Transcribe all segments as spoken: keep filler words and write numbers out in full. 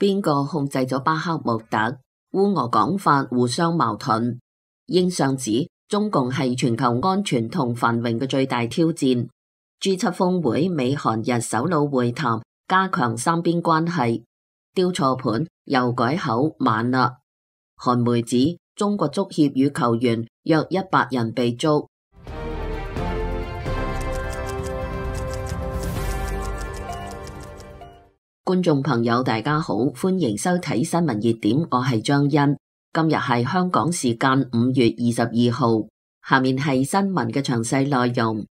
邊個控制咗巴克穆特？烏俄講法互相矛盾。英相指中共係全球安全同繁榮嘅最大挑戰。G 七峰會美韓日首腦會談，加強三邊關係。丟錯盤又改口晚啦。韓媒指中國足協與球員約一百人被捉。觀眾朋友大家好，歡迎收睇新聞熱點，我係張欣。今日係香港時間五月二十二號，下面係新聞嘅詳細內容。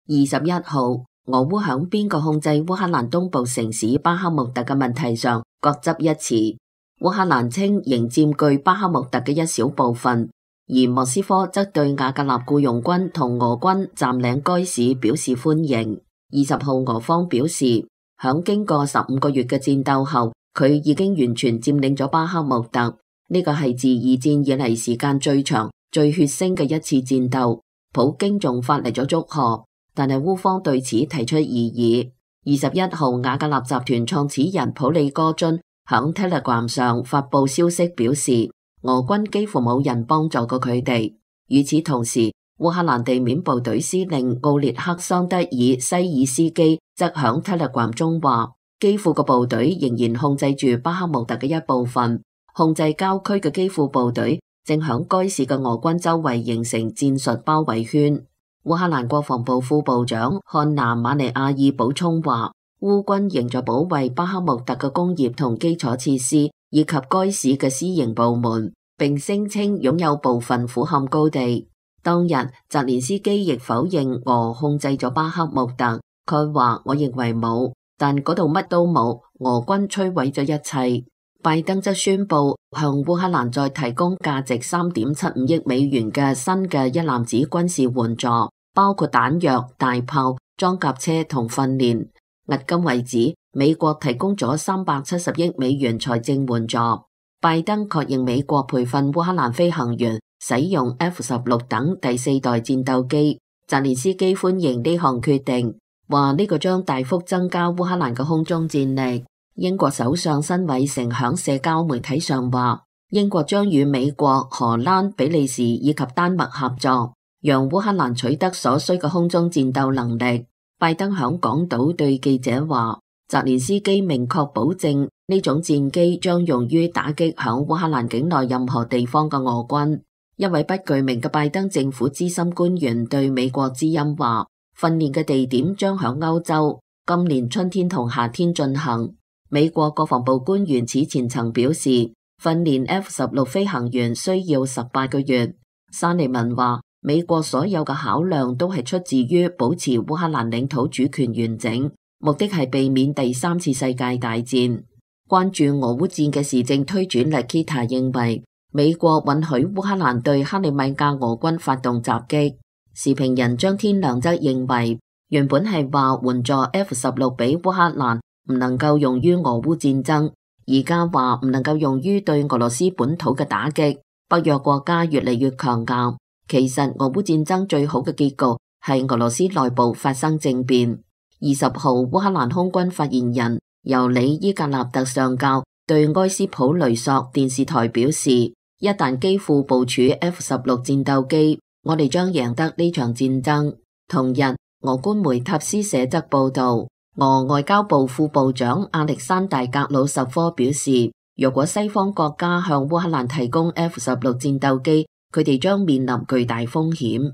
二十一號，俄烏響邊個控制烏克蘭東部城市巴克穆特嘅問題上各執一詞。烏克蘭稱仍佔據巴克穆特嘅一小部分，而莫斯科則對瓦格納僱傭軍同俄軍佔領該市表示歡迎。二十號，俄方表示，響經過十五個月嘅戰鬥後，佢已經完全佔領咗巴克穆特。呢個係自二戰以嚟時間最長、最血腥嘅一次戰鬥。普京仲發嚟咗祝賀，但係烏方對此提出異議。二十一號，瓦格納集團創始人普利戈津響 Telegram 上發佈消息表示，俄軍幾乎冇人幫助過佢哋。與此同時，烏克蘭地面部隊司令奧列克桑德爾西爾斯基則響 Telegram 中話，基輔嘅部隊仍然控制住巴克穆特嘅一部分，控制郊區嘅基輔部隊正響該市嘅俄軍周圍形成戰術包圍圈。烏克蘭國防部副部長漢娜馬尼亞爾補充話，烏軍仍在保衛巴克穆特嘅工業同基礎設施，以及該市嘅私營部門，並聲稱擁有部分俯瞰高地。當日，澤連斯基亦否認俄控制咗巴克穆特。佢話：我認為冇，但嗰度乜都冇，俄軍摧毀咗一切。拜登則宣布向烏克蘭再提供價值三點七五億美元嘅新嘅一攬子軍事援助，包括彈藥、大炮、裝甲車同訓練。迄今為止，美國提供咗三百七十億美元財政援助。拜登確認美國培訓烏克蘭飛行員使用 F 十六等第四代戰鬥機。澤連斯基歡迎呢項決定，話呢個將大幅增加烏克蘭嘅空中戰力。英國首相辛偉誠響社交媒體上話，英國將與美國、荷蘭、比利時以及丹麥合作，讓烏克蘭取得所需嘅空中戰鬥能力。拜登響港島對記者話，澤連斯基明確保證呢種戰機將用於打擊響烏克蘭境內任何地方嘅俄軍。一位不具名嘅拜登政府資深官員對美國之音話，訓練嘅地點將響歐洲，今年春天同夏天進行。美國國防部官員此前曾表示，訓練 F 十六飛行員需要十八個月。沙利文話，美國所有嘅考量都係出自於保持烏克蘭領土主權完整，目的係避免第三次世界大戰。關注俄烏戰嘅時政推轉 Lakita 認為，美國允許烏克蘭對克里米亞俄軍發動襲擊。時評人張天良則認為，原本係話援助 F 十六俾烏克蘭唔能夠用於俄烏戰爭，而家話唔能夠用於對俄羅斯本土嘅打擊。北約國家越嚟越強硬。其實俄烏戰爭最好嘅結局係俄羅斯內部發生政變。二十號，烏克蘭空軍發言人尤里伊格納特上校對埃斯普雷索電視台表示，一旦基輔部署 F 十六戰鬥機，我哋將贏得呢場戰爭。同日，俄官媒塔斯社則報道，俄外交部副部長亞歷山大格魯什科表示，若果西方國家向烏克蘭提供 F 十六戰鬥機，佢哋將面臨巨大風險。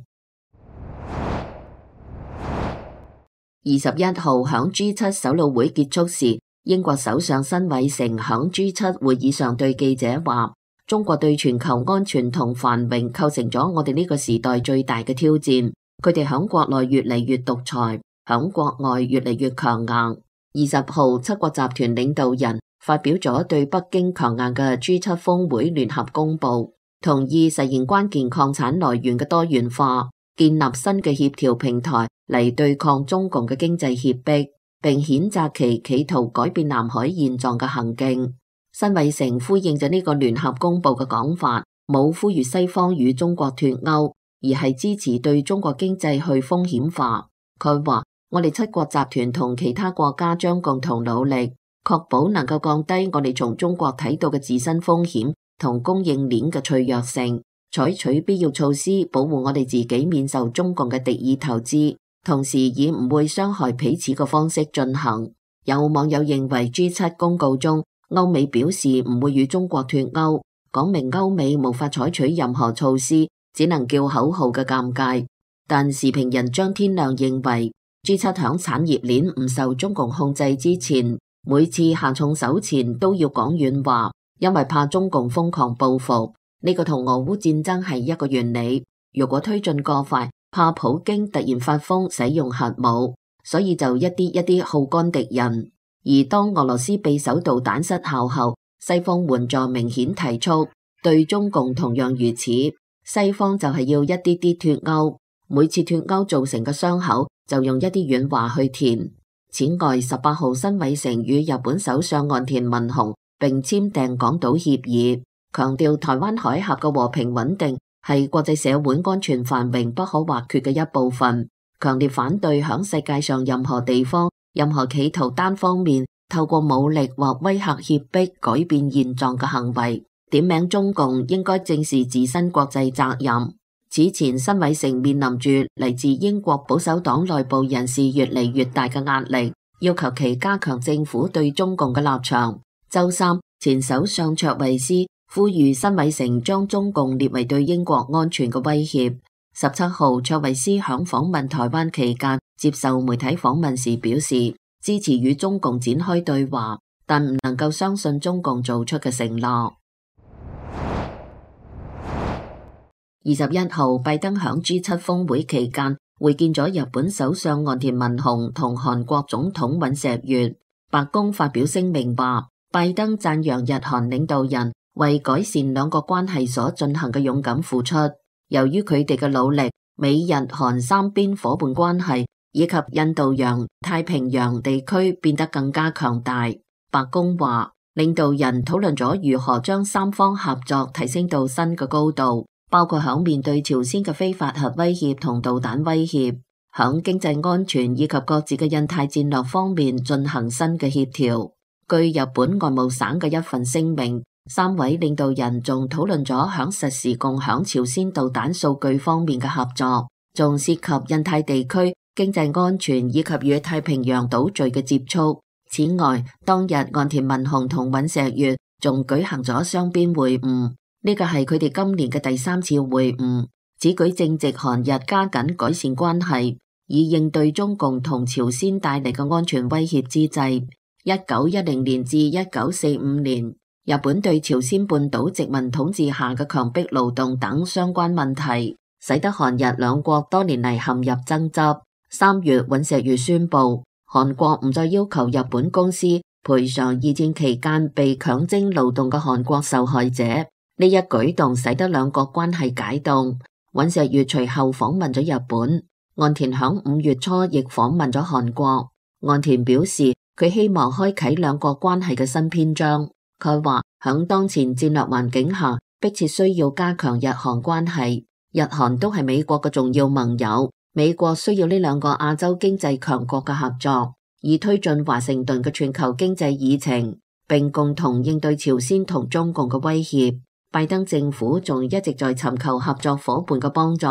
二十一號響 G 七首腦會結束時，英國首相辛偉誠響 G 七會議上對記者話，中國對全球安全同繁榮構成咗我哋呢個時代最大嘅挑戰。佢哋響國內越嚟越獨裁，響國外越嚟越強硬。二十號，七國集團領導人發表咗對北京強硬嘅 G 七峰會聯合公報，同意實現關鍵礦產來源嘅多元化，建立新嘅協調平台嚟對抗中共嘅經濟脅迫，並譴責其企圖改變南海現狀嘅行徑。辛偉誠呼應咗呢個聯合公報嘅講法，冇呼籲西方與中國脫鈎，而係支持對中國經濟去風險化。佢話我哋七國集團同其他國家將共同努力，確保能夠降低我哋從中國睇到嘅自身風險同供應鏈嘅脆弱性，採取必要措施保護我哋自己免受中共嘅敵意投資，同時以唔會傷害彼此嘅方式進行。有網友認為 G 七 公告中歐美表示唔會與中國脫歐，講明歐美無法採取任何措施，只能叫口號嘅尷尬。但時評人張天亮認為 G 七 響產業鏈唔受中共控制之前，每次下重手前都要講軟話，因為怕中共瘋狂報復。呢個同俄烏戰爭係一個原理，如果推進過快，怕普京突然發瘋使用核武，所以就一啲一啲耗乾敵人。而當俄羅斯匕首導彈失效後，西方援助明顯提速，對中共同樣如此。西方就係要一啲啲脫歐，每次脫歐造成嘅傷口就用一啲軟話去填。此外，十八號辛偉誠與日本首相岸田文雄並簽訂廣島協議，強調台灣海峽嘅和平穩定係國際社會安全繁榮不可或缺嘅一部分，強烈反對響世界上任何地方任何企圖單方面透過武力或威嚇脅迫改變現狀嘅行為，點名中共應該正視自身國際責任。此前辛偉誠面臨住嚟自英國保守黨內部人士越嚟越大嘅壓力，要求其加強政府對中共嘅立場。周三，前首相卓慧思呼籲辛偉誠將中共列為對英國安全嘅威脅。十七號，卓慧思響訪問台灣期間接受媒體訪問時表示，支持與中共展開對話，但唔能夠相信中共做出嘅承諾。二十一號，拜登響 G 七 峰會期間會見咗日本首相岸田文雄同韓國總統尹錫悅。白宮發表聲明話，拜登讚揚日韓領導人為改善兩國關係所進行嘅勇敢付出，由於佢哋嘅努力，美日韓三邊夥伴關係以及印度洋、太平洋地區變得更加強大。白宮話，領導人討論咗如何將三方合作提升到新嘅高度，包括響面對朝鮮嘅非法核威脅同導彈威脅，響經濟安全以及各自嘅印太戰略方面進行新嘅協調。據日本外務省嘅一份聲明，三位領導人仲討論咗響實時共享朝鮮導彈數據方面嘅合作，仲涉及印太地區經濟安全以及與太平洋島嶼嘅接觸。此外，當日岸田文雄同尹錫悅仲舉行咗雙邊會晤，呢個係佢哋今年嘅第三次會晤。此舉正值韓日加緊改善關係，以應對中共同朝鮮帶嚟嘅安全威脅之際。一九一零年至一九四五年，日本對朝鮮半島殖民統治下嘅強迫勞動等相關問題，使得韓日兩國多年嚟陷入爭執。三月，尹錫悅宣布，韓國唔再要求日本公司賠償二戰期間被強徵勞動嘅韓國受害者。呢一舉動使得兩國關係解凍。尹錫悅隨後訪問咗日本，岸田響五月初亦訪問咗韓國。岸田表示，佢希望開啟兩國關係嘅新篇章。佢話響當前戰略環境下，迫切需要加強日韓關係。日韓都係美國嘅重要盟友，美國需要呢兩個亞洲經濟強國嘅合作，以推進華盛頓嘅全球經濟議程，並共同應對朝鮮同中共嘅威脅。拜登政府仲一直在尋求合作夥伴嘅幫助，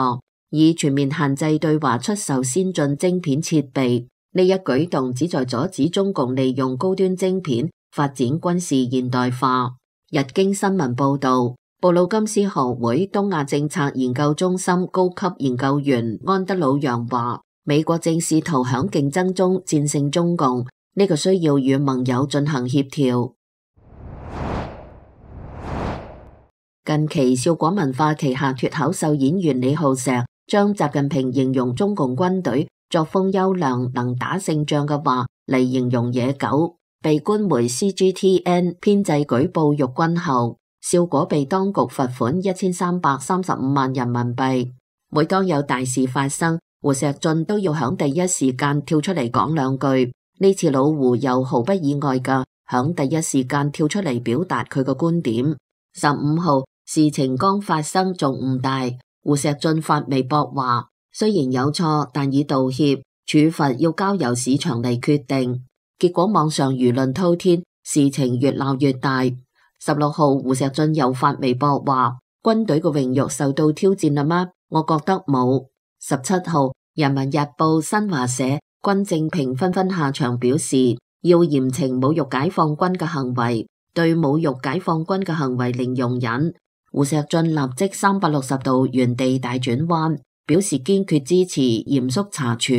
以全面限制對華出售先進晶片設備。呢一舉動旨在阻止中共利用高端晶片發展軍事現代化。日經新聞報道，布魯金斯學會東亞政策研究中心高級研究員安德魯揚話，美國正試圖響競爭中戰勝中共，呢個需要與盟友進行協調。近期笑果文化旗下脫口秀演員李浩石將習近平形容中共軍隊作風優良，能打勝仗嘅話嚟形容野狗，被官媒 C G T N 編製舉報辱軍後，笑果被當局罰款一千三百三十五萬人民幣。每當有大事發生，胡錫進都要響第一時間跳出嚟講兩句。呢次老胡又毫不意外嘅響第一時間跳出嚟表達佢嘅觀點。十五號，事情剛發生仲唔大，胡錫進發微博話，雖然有錯，但已道歉，處罰要交由市場嚟決定。結果網上輿論滔天，事情越鬧越大。十六號胡錫進又發微博話：軍隊嘅榮譽受到挑戰啦嗎？我覺得冇。十七號人民日報、新華社、軍政評紛紛下場表示，要嚴懲侮辱解放軍嘅行為，對侮辱解放軍嘅行為零容忍。胡錫進立即三百六十度原地大轉彎，表示堅決支持嚴肅查處，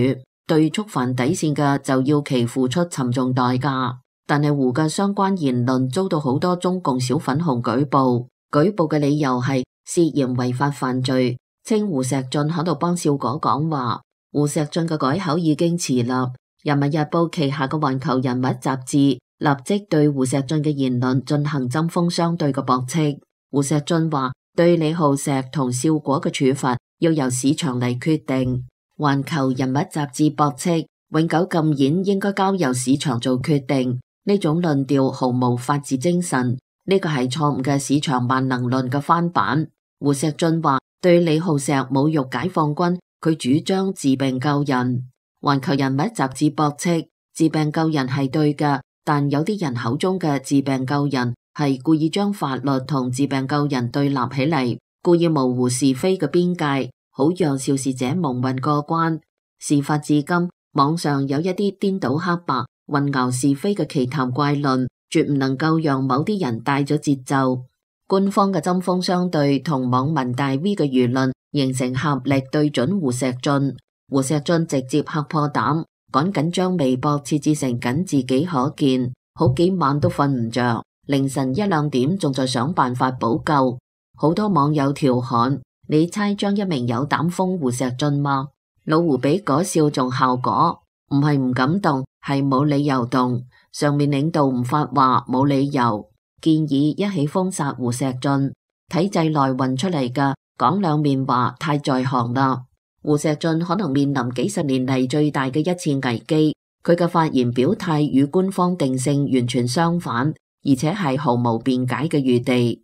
對觸犯底線嘅就要其付出沉重代價。但係胡嘅相關言論遭到好多中共小粉紅舉報，舉報嘅理由係涉嫌違法犯罪，稱胡錫進喺度幫笑果講話。胡錫進嘅改口已經遲啦。人民日報旗下嘅環球人物雜誌立即對胡錫進嘅言論進行針鋒相對嘅駁斥。胡錫進話對李浩石同笑果嘅處罰要由市場嚟決定。環球人物雜誌駁斥永久禁演應該交由市場做決定，呢種論調毫無法治精神，呢個係錯誤嘅市場萬能論嘅翻版。胡錫進話對李浩石侮辱解放軍，佢主張治病救人。環球人物雜誌駁斥治病救人係對嘅，但有啲人口中嘅治病救人係故意將法律同治病救人對立起嚟，故意模糊是非嘅邊界，好讓肇事者蒙混過關。事發至今，網上有一啲顛倒黑白、混淆是非嘅奇談怪論，絕唔能夠讓某啲人帶咗節奏。官方嘅針鋒相對同網民大 V 嘅輿論形成合力對準胡錫進。胡錫進直接嚇破膽，趕緊將微博設置成僅自己可見，好幾晚都瞓唔着，凌晨一兩點仲在想辦法補救。好多網友調侃：你猜張一鳴有膽封胡錫進嗎？老胡比嗰笑仲效果，唔係唔敢動，係冇理由動。上面領導唔發話，冇理由。建議一起封殺胡錫進，體制內運出嚟嘅講兩面話太在行啦。胡錫進可能面臨幾十年嚟最大嘅一次危機，佢嘅發言表態與官方定性完全相反，而且係毫無辯解嘅餘地。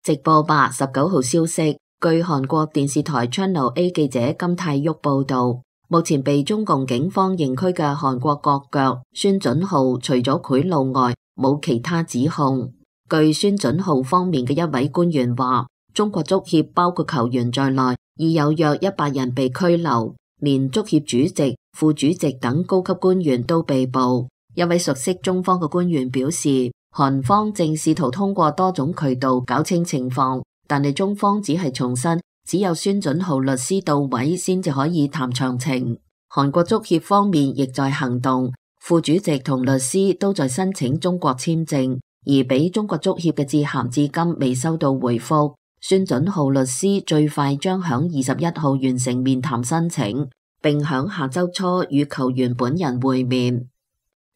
直播吧十九號消息，據韓國電視台 Channel A 記者金泰旭報道，目前被中共警方刑拘嘅韓國國腳孫準浩，除咗賄賂外，冇其他指控。據孫準浩方面嘅一位官員話，中國足協包括球員在內，已有約一百人被拘留，連足協主席、副主席等高級官員都被捕。一位熟悉中方嘅官員表示，韓方正試圖通過多種渠道搞清情況，但係中方只係重申，只有孫準浩律師到位先至可以談詳情。韓國足協方面亦在行動，副主席同律師都在申請中國簽證，而俾中國足協嘅致函至今未收到回覆。孫準浩律師最快將響二十一號完成面談申請，並響下周初與球員本人會面。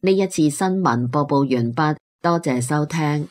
呢一次新聞播報完畢，多謝收聽。